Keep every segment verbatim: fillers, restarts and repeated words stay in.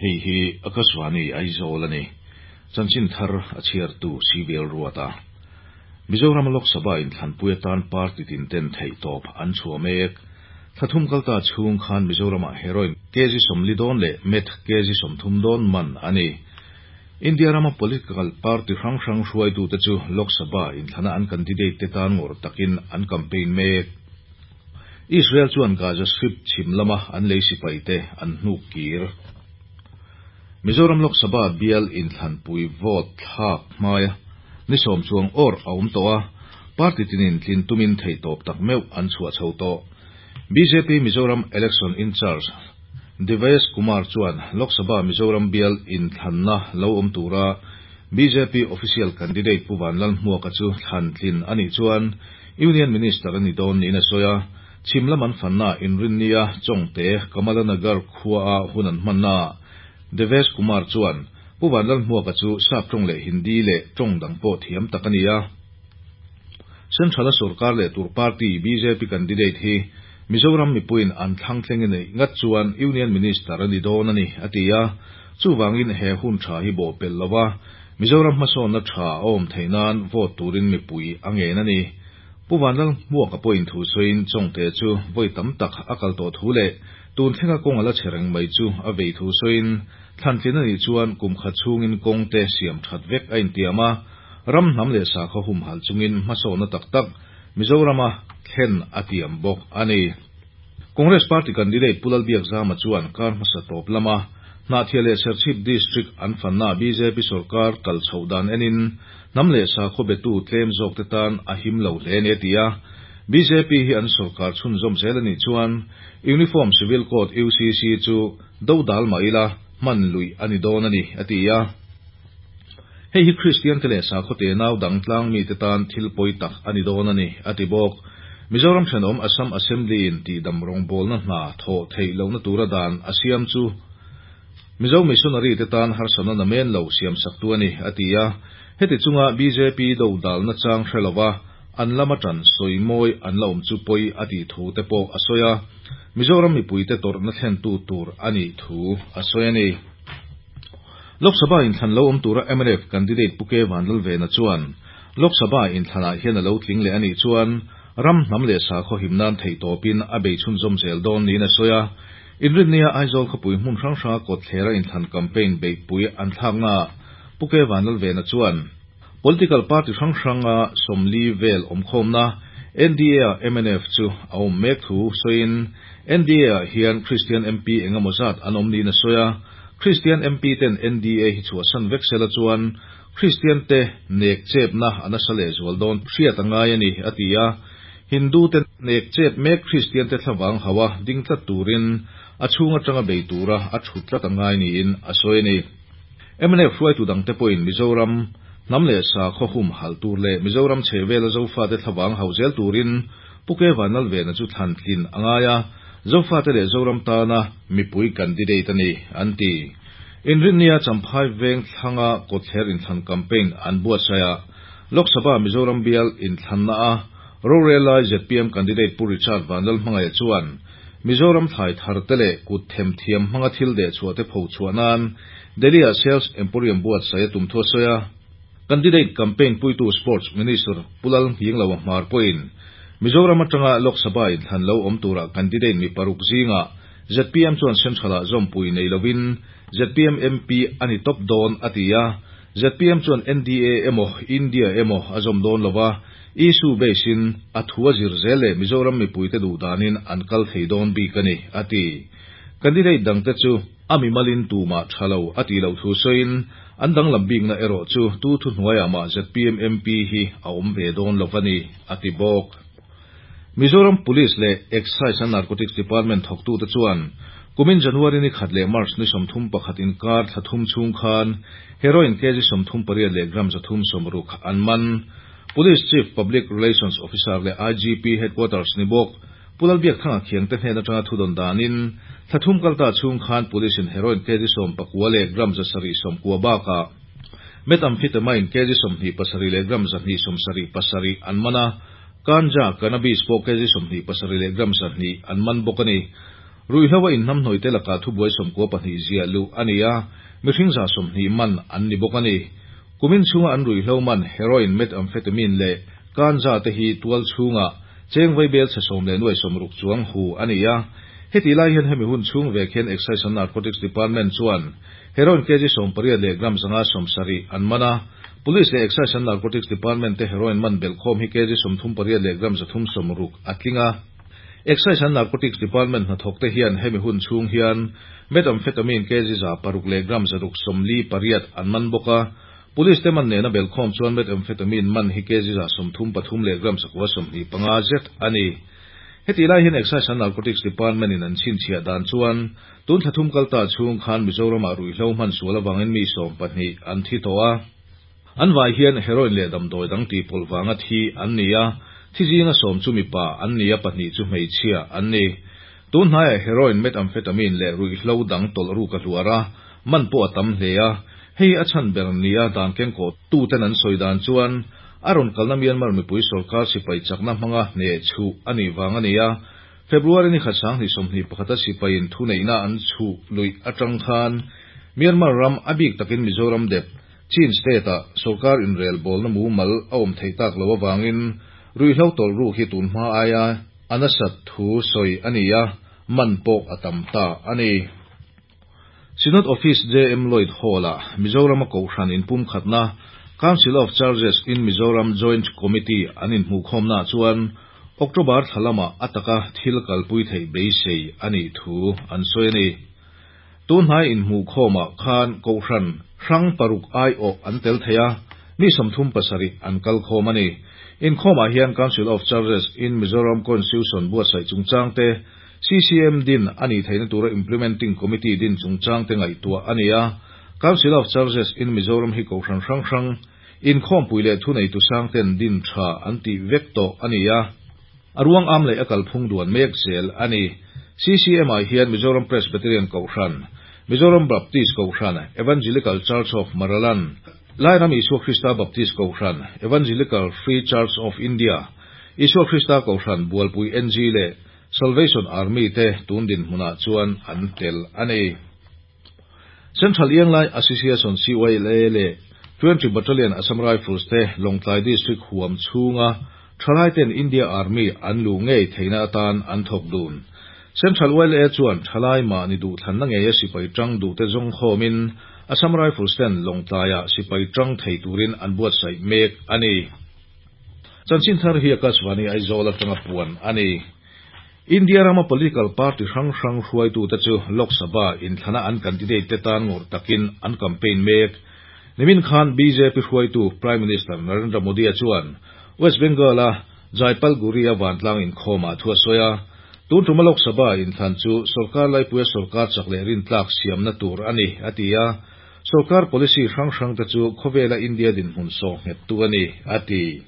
Hei hi Akashvani Aizawl ani. Chanchin thar a chhiartu Civil Ruata. Mizoram Lok Sabha in thlanpui atan party tin ten thei tawp an chhuah mek. Thathum kalta chhung khan Mizoram ah heroin kg sawmli dawn leh meth kg sawmthum dawn man ani. India rama political party hrang hrang hruaitu te chu Lok Sabha in thlana an candidate te tan ngawr takin an campaign mek. Israel chuan Gaza Strip chhim lama an lei sipai te an hnuk kir. Mizoram Lok Sabha bial in thlanpui vote thlak hmaia ni sawm chuang awr a awm tawh a, party tinin tlin tumin thei tawp tak meuh an chhuah chho tawh. B J P Mizoram Election in Charge Devesh Kumar chuan Lok Sabha Mizoram bial in thlanna lo awm tura B J P official candidate Pu Vanlalhmuaka chu thlan tlin ani chuan Union Minister ani dawn niin a sawi a, chhim lam an fanna inrinnia Chawngte Kamalanagar khua a hun an hmanna. Devesh Kumar chuan Pu Vanlalhmuaka chu sap tawng leh Hindi leh tawng dang pawh thiam tak ani a. Central Sarkar leh tur party B J P candidate hi Mizoram mipuiin an thlang thleng nei ngat chuan Union Minister ani dawn ani ati a, chuwangin he hun tha hi bo pel lova Mizoram hmasawnna tha a awm theinan vote turin mipui a ngen ani. Pu Vanlalhmuaka pawhin thu sawiin Chawngte chu vawi tam tak a kal tawh thu leh tun thlenga kawng ala chereng mai chu a vei thu sawiin thlantlin ani chuan kum khat chhungin kawng te siam that vek a intiam a, ram hnam leh sakhaw humhal chungin hmasawnna tak tak Mizorama thlen a tiam bawk ani. Congress Party candidate Pu Lalbiakzama chuan kar hmasa tawp lama Hnahthial leh Serchhip District an fanna B J P sarkar kal chho dan enin hnam leh sakhaw betu tlem zawk te tan a him lo hle ni a ti a. B J P hi an sarkar chhun zawm zel ani chuan Uniform Civil Code U C C chu do dal mai ila hman lui ani dawn ani a ti a. Hei hi Christian te leh sakhaw te nau dang tlang mi te tan thil pawi tak ani dawn ani a ti bawk. Mizoram thenawm Assam Assembly in ti dam rawng bawlna hna thaw thei lohna tura dan a siam chu Mizo missionary te tan harsana namen lo siam sak tu ani a ti a. Heti chunga B J P do dalna chang hrelowa an lama tan sawimawi an la awm chu pawi a ti thu te pawh a sawi a. Mizoram mipui te tawrhna thlen tu tur ani thu a sawi ani. Lok Sabha in thlan lo awm tura M N F candidate Pu K Vanlalvena chuan Lok Sabha in thlanah hian a lo tling leh ani chuan ram hnam leh sakhaw himnan thei tawpin a bei chhun zawm zel dawn niin a sawi a. Inrinnia Aizawl khawpui hmun hrang hranga kawt thlera inthlan campaign beihpui an thlakna Pu K Vanlalvena chuan political party hrang hranga sawmli vel awmkhawmna N D A ah M N F chu a awm mek thu sawiin N D A ah hian Christian M P engemaw zat an awm niin a sawi a. Christian M P ten N D A hi chhuahsan vek sela chuan Christian te nek chepna an asa leh zual dawn hriat a ngai ani a ti a. Hindu te nek chep mek Christian te thlawang hawa ding tlat turin a chhunga tanga bei tura a thut tlat a ngai niin a sawi ani. M N F hruaitu dang te pawhin Mizoram hnam leh sakhaw hum hal tur leh Mizoram chhehvela Zofa te thlawang hau zel turin Pu K Vanlalvena chu thlan tlin a ngai a, Zofa te leh Zoram tana mipui candidate ani an ti. Inrinnia Champhai veng thlanga kawtthler inthlan campaign an buatsaih a, Lok Sabha Mizoram bial inthlanna a rorelai Z P M candidate Pu Richard Vanlalhmangaih chuan Mizoram thlai thar te leh kut them thiam hmanga thil deh chhuah te pho chhuah nan Delhi ah Sales Emporium buatsaih a tum thu a sawi a. Candidate campaign puitu Sports Minister Pu Lalnghinglova hmar pawhin Mizoram atanga Lok Sabha inthlan lo awm tura candidate mi paruk zinga Z P M chuan Central ah zawmpui nei lovin Z P M M P ani top dawn a ti a. Z P M chuan N D A emaw India emaw a zawm dawn lova issue basin a thu a zir zel leh Mizoram mipui te duh danin an kal thei dawn bik ani a ti. Candidate dang te chu ami malin tuma thalo a ti lo thu sawiin an dang lam bikna erawh chu tu thu hnuaiah mah Z P M M P hi a awm ve dawn lovani a ti bawk. Mizoram Police leh Excise and Narcotics Department thawktu te chuan kumin January ni khat leh March ni sawmthum pakhat inkar thlathum chhung khan heroin kg sawmthum pariat leh gram zathum sawmruk an man. Police Chief Public Relations Officer leh I G P Headquarters ni bawk Pu Lalbiakthanga khiang te hnen atanga thu dawn danin thlathum kalta chhung khan police in heroin kg sawm pakua leh gram zasarih sawmkua bakah methamphetamine kg sawmhnih pasarih leh gram zahnih sawmsarih pasarih an man a, ganja cannabis pawh kg sawmhnih pasarih leh gram zahnih an man bawk ani. Ruihhlo a inhnamhnawih te lakah thubuai sawmkua pahnih ziah luh a ni a, mihring za sawmhnih man an ni bawk a ni. Kumin chhunga an ruihhlo man heroin, methamphetamine leh ganja te hi tual chhunga cheng vaibel chhe sawm leh nuai sawmruk chuang hu a ni a. Heti lai hian hemi hun chhung vek hian Excise and Narcotics Department chuan heroin kg sawm pariat leh gram zanga sawm sarih an man a. Police leh Excise and Narcotics Department te heroin man belhkhawm hi kg sawmthum pariat leh gram zathum sawmruk a tling a. Excise and Narcotics Department hnathawk te hian hemi hun chhung hian methamphetamine kg za paruk leh gram zaruk sawmli pariat an man bawk a. Police te man nena belhkhawm chuan methamphetamine man hi kg za sawmthum pathum leh gram zakua sawmhnih panga zet a ni. Heti lai hian Excise and Narcotics Department in an chhinchhiah dan chuan tun thla thum kalta chhung khan Mizoramah ruihhlo hman sual awangin mi sawm pahnih an thi tawh a. An vai hian heroin leh damdawi dang tih pawlh vanga thi an ni a. Thi zinga sawm chu mipa an ni a, pahnih chu hmeichhia an ni. Tun hnaiah heroin, methamphetamine leh ruihhlo dang tawlh ruk a hluar a, man pawh a tam hle a. Hei a chhan ber ni a dan kengkawh tu ten an sawi dan chuan a rawn kalna Myanmar mipui sorkar sipai chakna hmanga hne chhuh a nih vang a ni a. February ni khat sanghnih sawmhnih pakhata sipaiin thuneihna an chhuh luih atang khan Myanmar ram a bik takin Mizoram dep Chin state ah sorkar inrel bawlna mumal a awm theih tak lo awangin ruihhlo tawlh ruk hi tun hma aia a nasat thu sawi a ni a, man pawh a tam ta a ni. Synod Office J M Lloyd Hall ah Mizoram a Kohhran inpumkhatna Council of Churches in Mizoram Joint Committee an inhmuhkhawmna chuan October thla lamah a taka thil kalpui theih beisei a nih thu an sawi a ni. Tun hnai inhmuhkhawmah khan Kohhran hrang paruk aiawh an tel thei a, mi sawmthum pasarih an kalkhawm a ni. Inkhawmah hian Council of Churches in Mizoram Constitution buatsaih chungchang te, C C M din a nih theihna tura Implementing Committee din chungchang te ngaihtuah a ni a. Council of Churches in Mizoram hi Kohhran hrang hrang inkhawmpui leh thunei tu sang ten din tha an tih vek tawh a ni a. A ruang am leh a kalphung duan mek zel a ni. C C M ah hian Mizoram Presbyterian Kohhran, Mizoram Baptist Kohhran, Evangelical Church of Maraland, Lairam Isua Krista Baptist Kohhran, Evangelical Free Church of India, Isua Krista Kohhran Bualpui N G leh Salvation Army te tun din hmunah chuan an tel a ni. Central Ianglai Association C Y L A leh twenty Battalion Assam Rifles te Lawngtlai District huam chhunga thalai ten India Army an lu ngei theihna atan an thawk dun. Central Y L A chuan thalai mahni duh thlanna ngei a sipai tang duh te zawng khawmin Assam Rifles ten Lawngtlaiah sipai tang thei turin an buatsaih mek a ni. Chanchin thar hi Akashvani Aizawl atanga puan a ni. India rama political party hrang hrang hruaitu te chu Lok Sabha inthlana an candidate te tan ngawrh takin an campaign mek. Nimin khan B J P hruaitu Prime Minister Narendra Modi a chuan West Bengal a Jaipalguri a vantlang inkhawmah thu a sawi a. Tun tuma Lok Sabha inthlan chu sorkar laipuia sorkar chak leh rintlak siamna tur a ni a ti a. Sorkar policy hrang hrang te chu khawvela India dinhmun sawh nghet tu a ni a ti.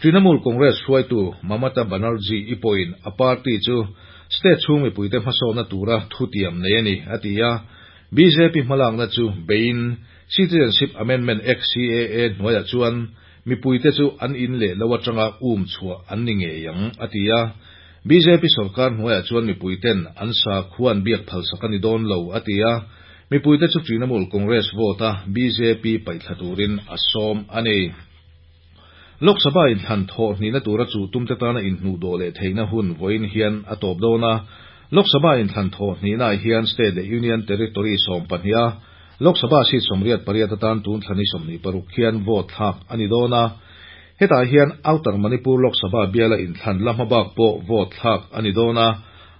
Trinamool Congress hruaitu Mamata Banerjee i pawhin a party chu state chhung mipuite hmasawhna tura thutiam nei a ni a ti a. B J P hmalakna chu bein Citizenship Amendment Act C A A hnuaiah chuan mipuite chu an in leh lo atanga um chhuah an ni ngei ang a ti a. B J P sorkar hnuaiah chuan mipuiten an sa khuan biak phalsak a ni dawn lo a ti a. Mipuite chu Trinamool Congress vote a B J P paihthla turin a sawm a ni. Lok Sabha inthlan thawh hnihna tura chu tumte tana inhmuh dawh leh theihna hun vawiin hian a tawp dawn a. Lok Sabha inthlan thawh hnihna hian state leh union territory sawm pahnih a. Lok Sabha seat sawmriat pariat atan tun thlani sawmhnih paruk hian vote thlak a ni dawn a. Hetah hian Outer Manipur Lok Sabha biala inthlan la hmabak pawh vote thlak a ni dawn a.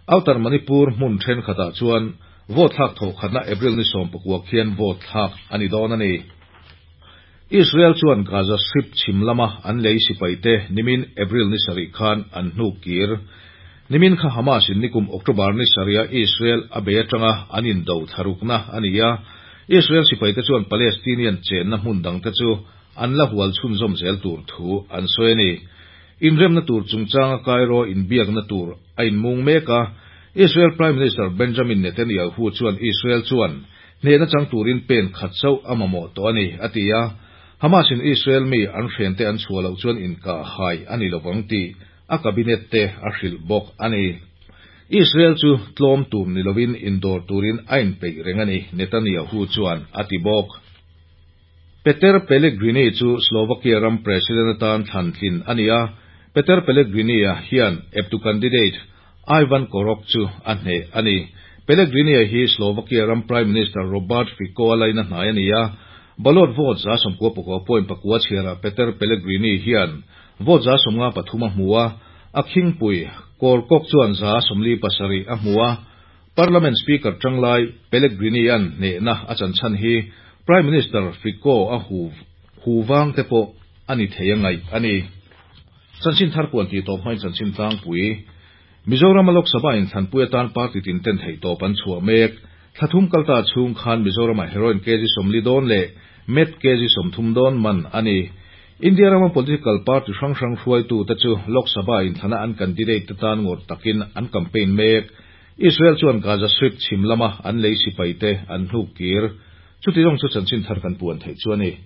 Outer Manipur hmun thenkhatah chuan vote thlak thawh khatna April ni sawm pakua khian vote thlak a ni dawn a ni. Israel chuan Gaza Strip chhim lama an lei sipai te nimin April ni sarih khan an hnuk kir. Nimin kha Hamas in nikum October ni sariha Israel a bei atanga an indo tharukna a ni a. Israel sipai te chuan Palestinian chenna hmun dang te chu an la hual chhunzawm zel tur thu an sawi a ni. Inremna tur chungchanga Cairo inbiakna tur a inmung mek a. Israel Prime Minister Benjamin Netanyahu chuan Israel chuan hnehna chang turin pen khat chauh a mamawh tawh a ni a ti a. Hamas in Israel mi an hren te an chhuah loh chuan inkah hai a ni lovang tih a cabinet te a hrilh bawk a ni. Israel chu tlawm tur ni lovin indawr turin a inpeih reng a ni, Netanyahu chuan a ti bawk. Peter Pellegrini chu Slovakia ram president atan thlan tlin a ni a, Peter Pellegrini-a hian eptu candidate Ivan Korok chu a hneh a ni. Pellegrini-a hi Slovakia ram Prime Minister Robert Fico-a laina hnai a ni a, ballot vote za sawmkua pakua point pakua chhiarah Peter Pellegrini hian vote za sawmnga pathum a hmu a, a khingpui Korkok chuan za sawmli pasarih a hmu a. Parliament Speaker tanglai Pellegrini-a'n hnehna a chan chhan hi Prime Minister Fico a hu hu vang te pawh a ni thei a ngaih a ni. Chanchin thar puan tih tawp hmain chanchin tlangpui Mizoram a Lok Sabha inthlanpui atan party tin ten theihtawp an chhuah mek. Thla thum kalta chhung khan Mizoram-ah heroin kg sawmli dawn leh meth kg sawmthum dawn man a ni. India rama political party hrang hrang hruaitu te chu Lok Sabha inthlana an candidate te tan ngawrh takin an campaign mek. Israel chuan Gaza Strip chhim lama an lei sipai te an hnuk kir. Chuti zawng chu chanchin thar kan puan theih chu a ni.